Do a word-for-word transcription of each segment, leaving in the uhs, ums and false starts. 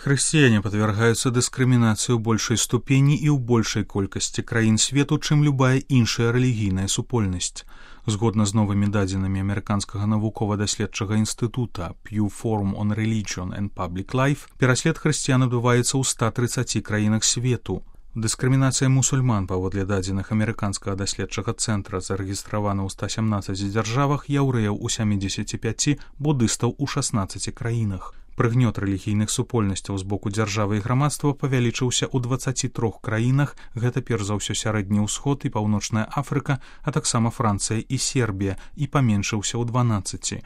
Хрысціяне падвяргаюцца дыскрымінацыі ў большай ступені і ў большай колькасці краін свету, чым любая іншая рэлігійная супольнасць. Згодна з новымі дадзенымі амерыканскага навукова-даследчага інстытута Pew Forum on Religion and Public Life, пераслед хрысціян адбываецца ў ста трыццаці краінах свету. Дыскрымінацыя мусульман паводле дадзеных амерыканскага даследчага цэнтра зарэгістравана ў ста сямнаццаці дзяржавах, яўрэяў у сямідзесяці пяці, будыстаў у шаснаццаці краінах. Прыгнёт рэлігійных супольнасцяў з боку дзяржавы і грамадства павялічыўся ў дваццаці трох краінах, гэта перш за ўсё сярэдні ўсход і паўночная Афрыка, а таксама Францыя і Сербія, і паменшыўся ў дванаццаці.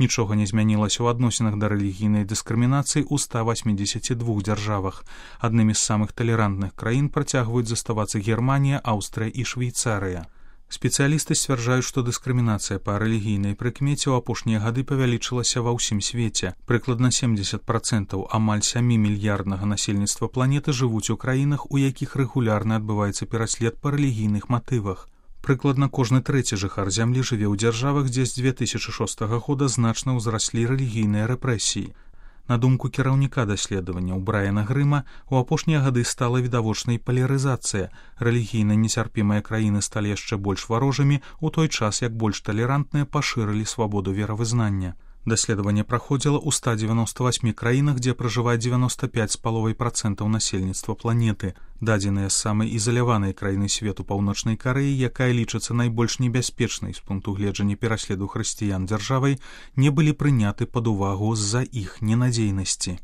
Нічога не змянілася ў адносінах да рэлігійнай дыскрымінацыі ў ста васьмідзесяці двух дзяржавах. Аднымі з самых талерантных краін працягваюць заставацца Германія, Аўстрыя і Швейцарыя. Спецыялісты сцвярджаюць, што дыскрымінацыя па рэлігійнай прыкмеце ў апошнія гады павялічылася ва ўсім свеце. Прыкладна сямдзесят процентаў амаль сямі мільярднага насельніцтва планеты жывуць у краінах, у якіх рэгулярна адбываецца пераслед па рэлігійных матывах. Прыкладна кожны трэці жыхар зямлі жыве ў дзяржавах, дзе з дзве тысячы шостага года значна ўзраслі рэлігійныя рэпрэсіі. На думку кіраўніка даследаванняў Брайана Грыма, у апошнія гады стала відавочнай палярызацыя. Рэлігійна нецярпімыя краіны сталі яшчэ больш варожымі, у той час як больш талерантныя пашырылі свабоду веравызнання. Даследаванне праходзіла ў ста дзевяноста васьмі краінах, дзе пражывае дзевяноста пяць з паловай працэнтаў насельніцтва планеты. Дадзеныя з самай ізаляванай краіны свету паўночнай Карэі, якая лічыцца найбольш небяспечнай з пункту гледжання пераследу хрысціян дзяржавай, не былі прыняты пад увагу з-за іх ненадзейнасці.